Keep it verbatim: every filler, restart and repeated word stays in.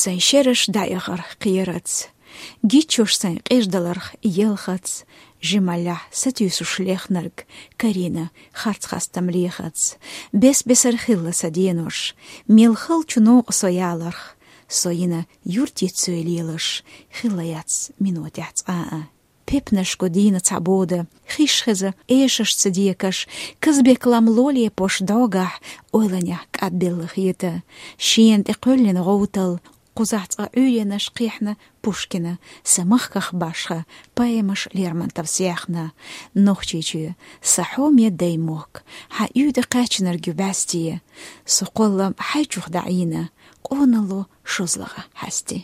Сайн шераш дӀаяхар кхерацара, гиччош сайн къеждаларх елхацара, жималлехь сатуьйсуш лехнарг карийна харц хастам лехацара. Бес-бесара хилла сан денош, мел хала чу новкъа со яларх, со йина юртица соьй лелаш, хилла яц минотехь цкъа а. Пепнашко дийна цхьа бода, хиш хеза эшашца декаш, Казбек-лам лолепош догахь, ойланехь кӀадбелла хета. Шена тӀе кхоьллина гӀовтал, кхузахь цкъа Ӏуьйренаш кхехьна Пушкина, сан махках башха поэмаш Лермонтовс яьхна. Нохчийчоь, сан хьоме дай мохк, хьан уьйтӀа кхаьчнарг ю бӀаьсте. Со кхоллам хьайчух дӀаийна, къоналло шозлагӀа хьаьсте.